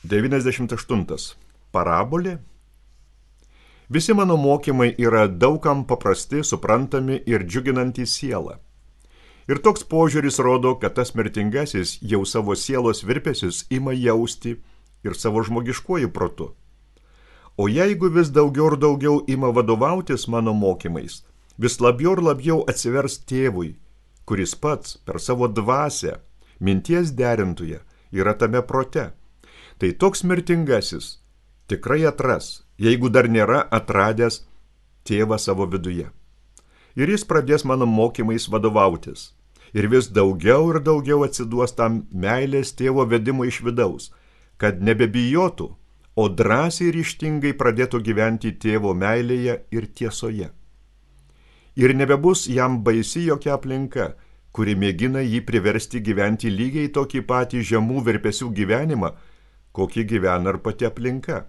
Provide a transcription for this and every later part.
98. Parabolė. Visi mano mokymai yra daugam paprasti, suprantami ir džiuginantys sielą. Ir toks požiūris rodo, kad tas mirtingasis jau savo sielos virpesius ima jausti ir savo žmogiškuoju protu. O jeigu vis daugiau ir daugiau ima vadovautis mano mokymais, vis labiau ir labiau atsivers tėvui, kuris pats per savo dvasią, minties derintoje, yra tame prote, tai toks mirtingasis tikrai atras, jeigu dar nėra atradęs tėvą savo viduje. Ir jis pradės mano mokymais vadovautis. Ir vis daugiau ir daugiau atsiduos tam meilės tėvo vedimo iš vidaus, kad nebebijotų, o drąsiai ir ryžtingai pradėtų gyventi tėvo meilėje ir tiesoje. Ir nebebus jam baisi jokia aplinka, kuri mėgina jį priversti gyventi lygiai tokį patį žemų virpesių gyvenimą, kokį gyvena ir pati aplinka.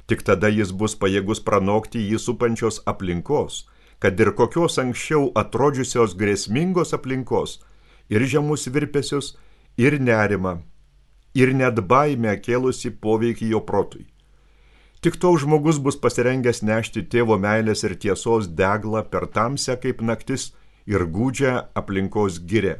Tik tada jis bus pajėgus pranokti jį supančios aplinkos, kad ir kokios anksčiau atrodžiusios grėsmingos aplinkos, ir žemus virpesius, ir nerimą, ir net baimę kėlusi poveikį jo protui. Tik toks žmogus bus pasirengęs nešti tėvo meilės ir tiesos deglą per tamsę kaip naktis ir gūdžią aplinkos girią.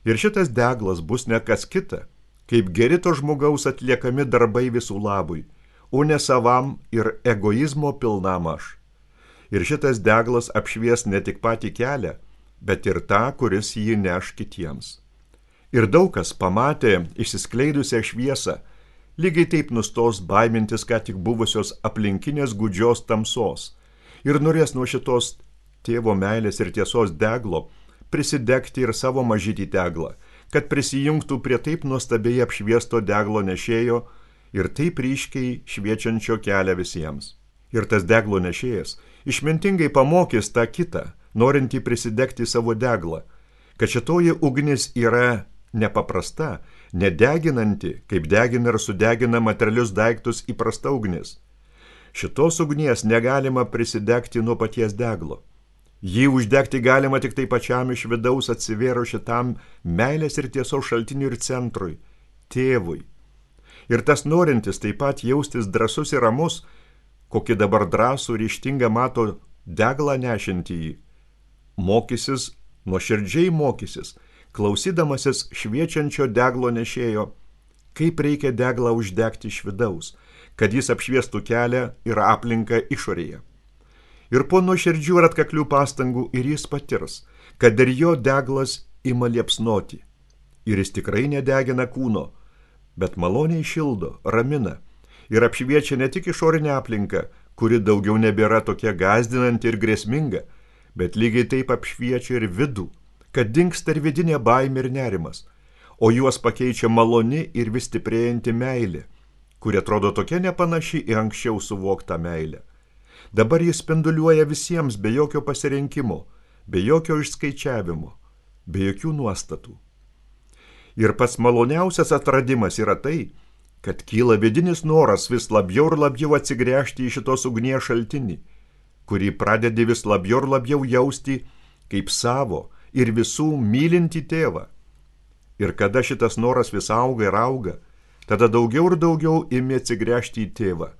Ir šitas deglas bus ne kas kita, kaip geri to žmogaus atliekami darbai visų labui, o ne savam ir egoizmo pilnam aš. Ir šitas deglas apšvies ne tik patį kelią, bet ir tą, kuris jį neš kitiems. Ir daug kas pamatė išsiskleidusią šviesą, lygiai taip nustos baimintis ką tik buvusios aplinkinės gūdžios tamsos ir norės nuo šitos tėvo meilės ir tiesos deglo prisidegti ir savo mažytį deglą, kad prisijungtų prie taip nuostabiai apšviesto deglo nešėjo ir taip ryškiai šviečiančio kelią visiems. Ir tas deglo nešėjas išmintingai pamokys tą kitą, norintį prisidegti savo deglą, kad šitoji ugnis yra nepaprasta, nedeginanti, kaip degina ir sudegina materialius daiktus įprasta ugnis. Šitos ugnies negalima prisidegti nuo paties deglo. Jį uždegti galima tik tai pačiam iš vidaus atsivėro šitam meilės ir tiesos šaltiniui ir centrui, tėvui. Ir tas norintis taip pat jaustis drąsus ir ramus, kokį dabar drąsų ryžtingą mato deglą nešintį jį, mokysis, nuoširdžiai mokysis, klausydamasis šviečiančio deglo nešėjo, kaip reikia deglą uždegti iš vidaus, kad jis apšviestų kelią ir aplinką išorėje. Ir po nuoširdžių ir atkaklių pastangų ir jis patirs, kad ir jo deglas ima liepsnoti. Ir jis tikrai nedegina kūno, bet maloniai šildo, ramina ir apšviečia ne tik išorinę aplinką, kuri daugiau nebėra tokia gąsdinanti ir grėsminga, bet lygiai taip apšviečia ir vidų, kad dingsta ir vidinė baimė ir nerimas, o juos pakeičia maloni ir vis stiprėjanti meilė, kuri atrodo tokia nepanaši į anksčiau suvoktą meilę. Dabar jis spinduliuoja visiems be jokio pasirinkimo, be jokio išskaičiavimo, be jokių nuostatų. Ir pats maloniausias atradimas yra tai, kad kyla vidinis noras vis labiau ir labiau atsigręžti į šitos ugnies šaltinį, kurį pradedi vis labiau ir labiau jausti kaip savo ir visų mylintį tėvą. Ir kada šitas noras vis auga ir auga, tada daugiau ir daugiau imi atsigręžti į tėvą.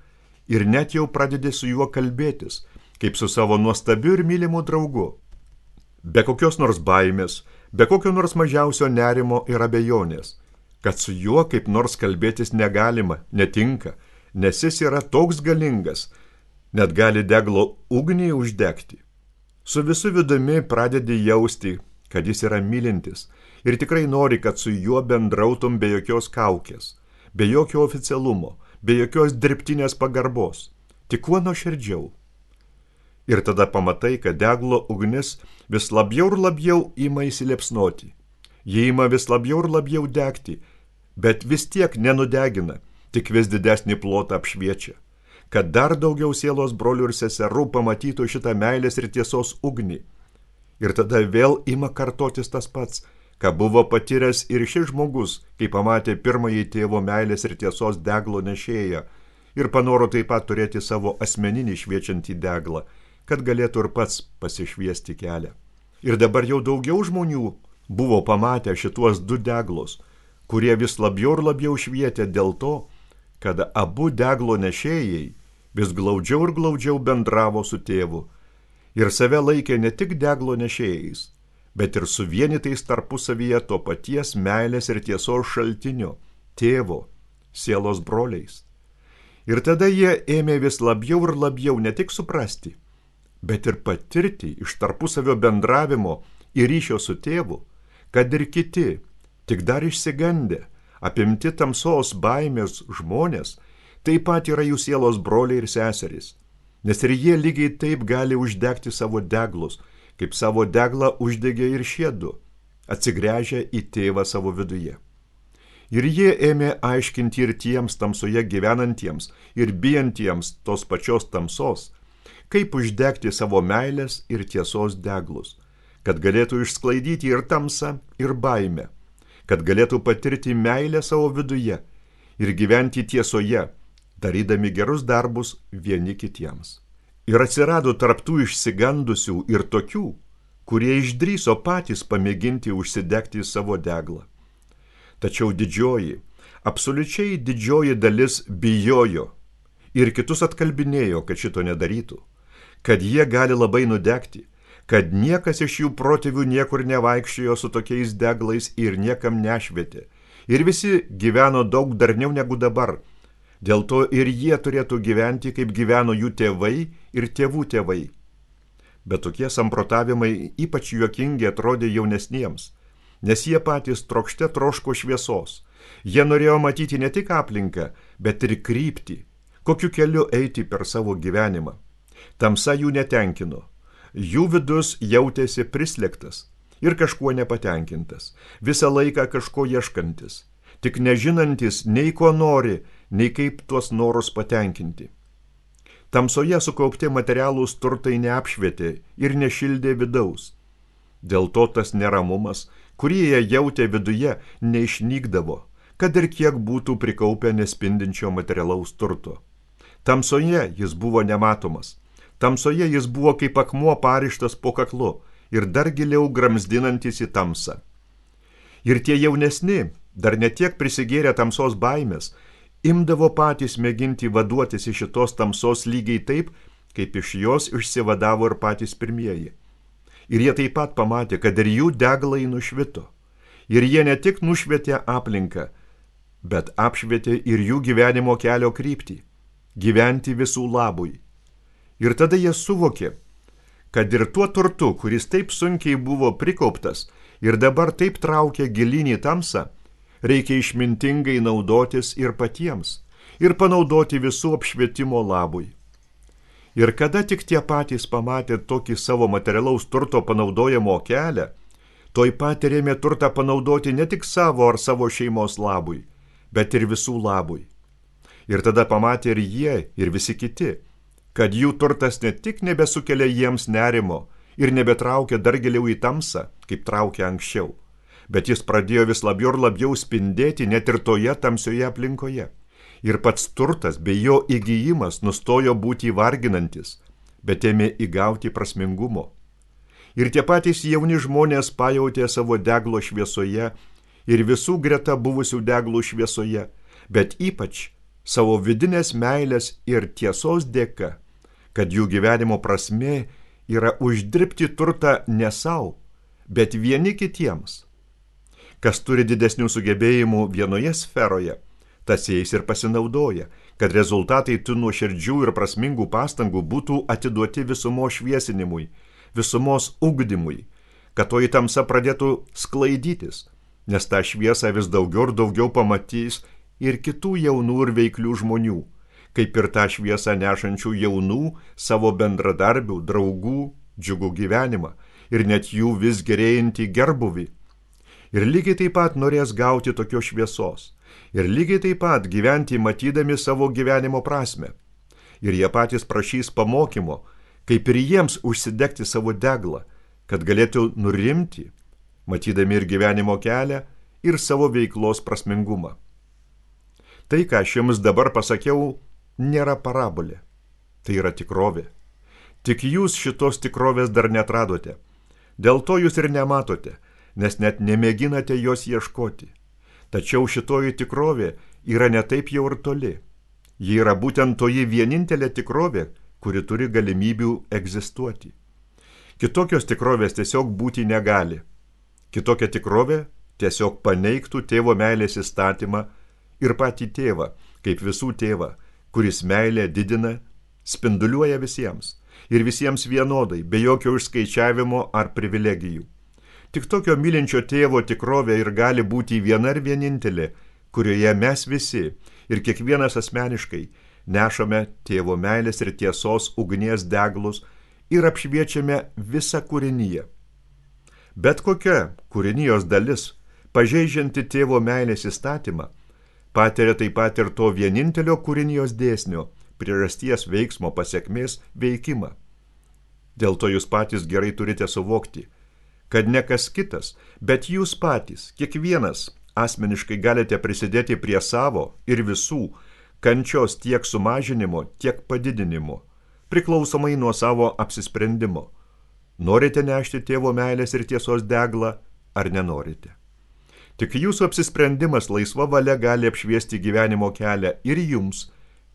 Ir net jau pradedi su juo kalbėtis, kaip su savo nuostabiu ir mylimu draugu. Be kokios nors baimės, be kokio nors mažiausio nerimo ir abejonės, kad su juo kaip nors kalbėtis negalima, netinka, nes jis yra toks galingas, net gali deglo ugnį uždegti. Su visu vidumi pradedi jausti, kad jis yra mylintis ir tikrai nori, kad su juo bendrautum be jokios kaukės, be jokio oficialumo, be jokios dirbtinės pagarbos, tik kuo nuoširdžiau. Ir tada pamatai, kad deglo ugnis vis labiau ir labiau ima įsiliepsnoti. Jie ima vis labiau ir labiau degti, bet vis tiek nenudegina, tik vis didesnį plotą apšviečia, kad dar daugiau sielos brolių ir seserų pamatytų šitą meilės ir tiesos ugnį. Ir tada vėl ima kartotis tas pats, ką buvo patyręs ir šis žmogus, kai pamatė pirmąjį tėvo meilės ir tiesos deglo nešėją ir panoro taip pat turėti savo asmeninį šviečiantį deglą, kad galėtų ir pats pasišviesti kelią. Ir dabar jau daugiau žmonių buvo pamatę šituos du deglus, kurie vis labiau ir labiau švietė dėl to, kad abu deglo nešėjai vis glaudžiau ir glaudžiau bendravo su tėvu ir save laikė ne tik deglo nešėjais, bet ir suvienytais tarpusavyje to paties meilės ir tiesos šaltinio, tėvo, sielos broliais. Ir tada jie ėmė vis labiau ir labiau ne tik suprasti, bet ir patirti iš tarpusavio bendravimo ir ryšio su tėvu, kad ir kiti, tik dar išsigandę, apimti tamsos baimės žmonės, taip pat yra jų sielos broliai ir seserys, nes ir jie lygiai taip gali uždegti savo deglus, kaip savo deglą uždegė ir šie du, atsigręžę į tėvą savo viduje. Ir jie ėmė aiškinti ir tiems tamsoje gyvenantiems ir bijantiems tos pačios tamsos, kaip uždegti savo meilės ir tiesos deglus, kad galėtų išsklaidyti ir tamsą, ir baimę, kad galėtų patirti meilę savo viduje ir gyventi tiesoje, darydami gerus darbus vieni kitiems. Ir atsirado tarptų išsigandusių ir tokių, kurie išdrįso patys pamėginti užsidegti savo deglą. Tačiau didžioji, absoliučiai didžioji dalis bijojo ir kitus atkalbinėjo, kad šito nedarytų, kad jie gali labai nudegti, kad niekas iš jų protėvių niekur nevaikščiojo su tokiais deglais ir niekam nešvietė, ir visi gyveno daug darniau negu dabar, dėl to ir jie turėtų gyventi, kaip gyveno jų tėvai ir tėvų tėvai. Bet tokie samprotavimai ypač juokingi atrodė jaunesniems, nes jie patys trokšte troško šviesos. Jie norėjo matyti ne tik aplinką, bet ir kryptį, kokiu keliu eiti per savo gyvenimą. Tamsa jų netenkino. Jų vidus jautėsi prislėgtas ir kažkuo nepatenkintas, visą laiką kažko ieškantis, tik nežinantis nei ko nori, nei kaip tuos norus patenkinti. Tamsoje sukaupti materialūs turtai neapšvietė ir nešildė vidaus. Dėl to tas neramumas, kurį jie jautė viduje, neišnykdavo, kad ir kiek būtų prikaupę nespindinčio materialaus turto. Tamsoje jis buvo nematomas. Tamsoje jis buvo kaip akmuo parištas po kaklu ir dar giliau gramzdinantis į tamsą. Ir tie jaunesni, dar netiek prisigėrę tamsos baimės, imdavo patys mėginti vaduotis iš šitos tamsos lygiai taip, kaip iš jos išsivadavo ir patys pirmieji. Ir jie taip pat pamatė, kad ir jų deglai nušvito. Ir jie ne tik nušvietė aplinką, bet apšvietė ir jų gyvenimo kelio kryptį, gyventi visų labui. Ir tada jie suvokė, kad ir tuo turtu, kuris taip sunkiai buvo prikauptas ir dabar taip traukia gilyn į tamsą, reikia išmintingai naudotis ir patiems, ir panaudoti visų apšvietimo labui. Ir kada tik tie patys pamatė tokį savo materialaus turto panaudojimo kelią, toj pat ėmė turtą panaudoti ne tik savo ar savo šeimos labui, bet ir visų labui. Ir tada pamatė ir jie, ir visi kiti, kad jų turtas ne tik nebesukelia jiems nerimo ir nebetraukia dar giliau į tamsą, kaip traukia anksčiau, bet jis pradėjo vis labiau ir labiau spindėti net ir toje tamsioje aplinkoje. Ir pats turtas bei jo įgijimas nustojo būti varginantis, bet ėmė įgauti prasmingumo. Ir tie patys jauni žmonės pajautė savo deglo šviesoje ir visų greta buvusių deglų šviesoje, bet ypač savo vidinės meilės ir tiesos dėka, kad jų gyvenimo prasmė yra uždirbti turtą ne savo, bet vieni kitiems. Kas turi didesnių sugebėjimų vienoje sferoje, tas jais ir pasinaudoja, kad rezultatai tų nuoširdžių ir prasmingų pastangų būtų atiduoti visumos šviesinimui, visumos ugdymui, kad toji tamsa pradėtų sklaidytis, nes tą šviesą vis daugiau ir daugiau pamatys ir kitų jaunų ir veiklių žmonių, kaip ir tą šviesą nešančių jaunų savo bendradarbių, draugų, džiugų gyvenimą ir net jų vis gerėjantį gerbuvį. Ir lygiai taip pat norės gauti tokios šviesos. Ir lygiai taip pat gyventi matydami savo gyvenimo prasmę. Ir jie patys prašys pamokymo, kaip ir jiems užsidegti savo deglą, kad galėtų nurimti, matydami ir gyvenimo kelią, ir savo veiklos prasmingumą. Tai, ką aš jums dabar pasakiau, nėra parabolė. Tai yra tikrovė. Tik jūs šitos tikrovės dar neatradote. Dėl to jūs ir nematote, nes net nemėginate jos ieškoti. Tačiau šitoji tikrovė yra ne taip jau ir toli. Ji yra būtent toji vienintelė tikrovė, kuri turi galimybių egzistuoti. Kitokios tikrovės tiesiog būti negali. Kitokia tikrovė tiesiog paneigtų tėvo meilės įstatymą ir patį tėvą, kaip visų tėvą, kuris meilę didina, spinduliuoja visiems ir visiems vienodai, be jokio išskaičiavimo ar privilegijų. Tik tokio mylinčio tėvo tikrovė ir gali būti viena ir vienintelė, kurioje mes visi ir kiekvienas asmeniškai nešame tėvo meilės ir tiesos ugnies deglus ir apšviečiame visą kūriniją. Bet kokia kūrinijos dalis, pažeidžianti tėvo meilės įstatymą, patiria taip pat ir to vienintelio kūrinijos dėsnio, priežasties veiksmo pasekmės veikimą. Dėl to jūs patys gerai turite suvokti, kad ne kas kitas, bet jūs patys, kiekvienas asmeniškai galite prisidėti prie savo ir visų kančios tiek sumažinimo, tiek padidinimo, priklausomai nuo savo apsisprendimo. Norite nešti tėvo meilės ir tiesos deglą, ar nenorite? Tik jūsų apsisprendimas laisva valia gali apšviesti gyvenimo kelią ir jums,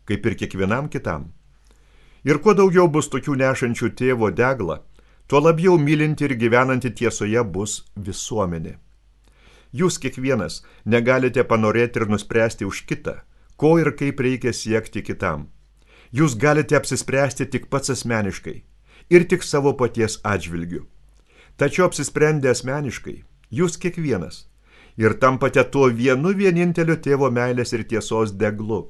kaip ir kiekvienam kitam. Ir kuo daugiau bus tokių nešančių tėvo deglą, tuo labiau mylinti ir gyvenanti tiesoje bus visuomenė. Jūs kiekvienas negalite panorėti ir nuspręsti už kitą, ko ir kaip reikia siekti kitam. Jūs galite apsispręsti tik pats asmeniškai ir tik savo paties atžvilgiu. Tačiau apsisprendę asmeniškai, jūs kiekvienas ir tampate tuo vienu vieninteliu tėvo meilės ir tiesos deglu,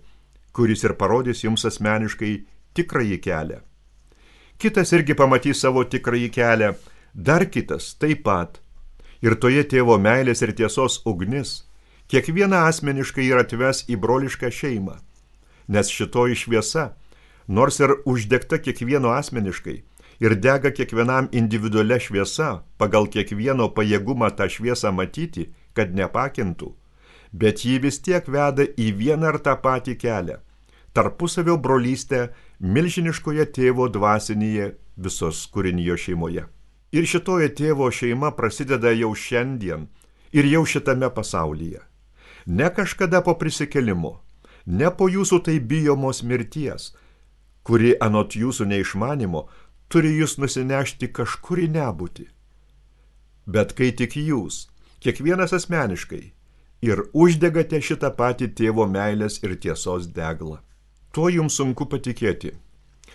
kuris ir parodys jums asmeniškai tikrąjį kelią. Kitas irgi pamatys savo tikrąjį kelią, dar kitas taip pat. Ir toje tėvo meilės ir tiesos ugnis kiekvieną asmeniškai ir atves į brolišką šeimą, nes šitoji šviesa, nors ir uždegta kiekvieno asmeniškai ir dega kiekvienam individualia šviesa, pagal kiekvieno pajėgumą tą šviesą matyti, kad nepakintų, bet ji vis tiek veda į vieną ar tą patį kelią, tarpusavio brolystę milžiniškoje tėvo dvasinėje visos kūrinijos šeimoje. Ir šitoje tėvo šeima prasideda jau šiandien ir jau šitame pasaulyje. Ne kažkada po prisikėlimo, ne po jūsų tai bijomos mirties, kuri anot jūsų neišmanimo turi jūs nusinešti kažkur į nebūtį. Bet kai tik jūs, kiekvienas asmeniškai, ir uždegate šitą patį tėvo meilės ir tiesos deglą. Tuo jums sunku patikėti.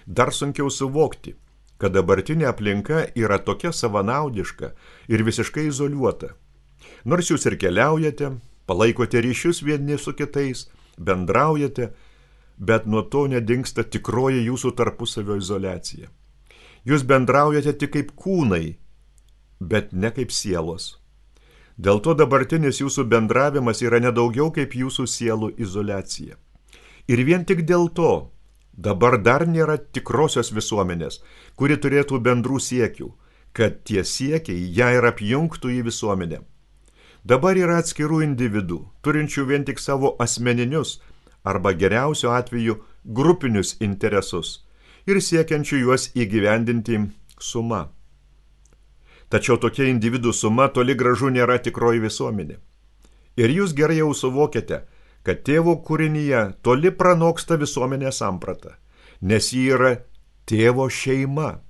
Dar sunkiau suvokti, kad dabartinė aplinka yra tokia savanaudiška ir visiškai izoliuota. Nors jūs ir keliaujate, palaikote ryšius vieni su kitais, bendraujate, bet nuo to nedingsta tikroji jūsų tarpusavio izoliacija. Jūs bendraujate tik kaip kūnai, bet ne kaip sielos. Dėl to dabartinis jūsų bendravimas yra nedaugiau kaip jūsų sielų izoliacija. Ir vien tik dėl to dabar dar nėra tikrosios visuomenės, kuri turėtų bendrų siekių, kad tie siekiai ją ir apjungtų į visuomenę. Dabar yra atskirų individų, turinčių vien tik savo asmeninius arba geriausio atveju grupinius interesus ir siekiančių juos įgyvendinti suma. Tačiau tokia individų suma toli gražu nėra tikroji visuomenė. Ir jūs gerai jau suvokiate, kad tėvo kūrinyje toli pranoksta visuomenės sampratą, nes ji yra tėvo šeima.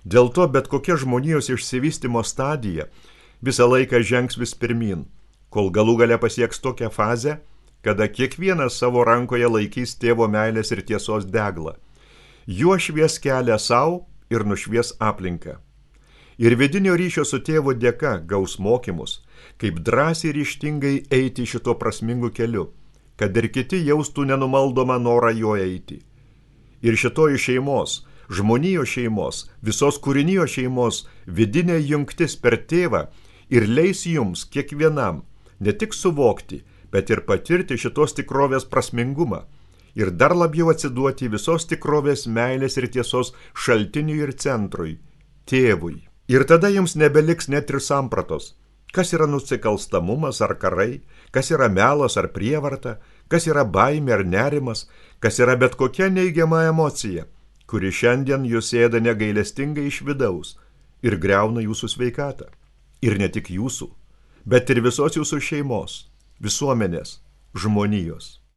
Dėl to bet kokia žmonijos išsivystymo stadija visą laiką žengs vis pirmin, kol galų gale pasieks tokią fazę, kada kiekvienas savo rankoje laikys tėvo meilės ir tiesos deglą. Juo švies kelią savo ir nušvies aplinką. Ir vidinio ryšio su tėvu dėka gaus mokymus, kaip drąsiai ir ryžtingai eiti šito prasmingu keliu, kad ir kiti jaustų nenumaldomą norą jo eiti. Ir šitoji šeimos, žmonijos šeimos, visos kūrinijos šeimos vidinė jungtis per tėvą ir leis jums kiekvienam ne tik suvokti, bet ir patirti šitos tikrovės prasmingumą ir dar labiau atsiduoti visos tikrovės meilės ir tiesos šaltiniui ir centrui, tėvui. Ir tada jums nebeliks net ir sampratos, kas yra nusikalstamumas ar karai, kas yra melas ar prievarta, kas yra baimė ar nerimas, kas yra bet kokia neigiama emocija, kuri šiandien jūs ėda negailestingai iš vidaus ir griauna jūsų sveikatą. Ir ne tik jūsų, bet ir visos jūsų šeimos, visuomenės, žmonijos.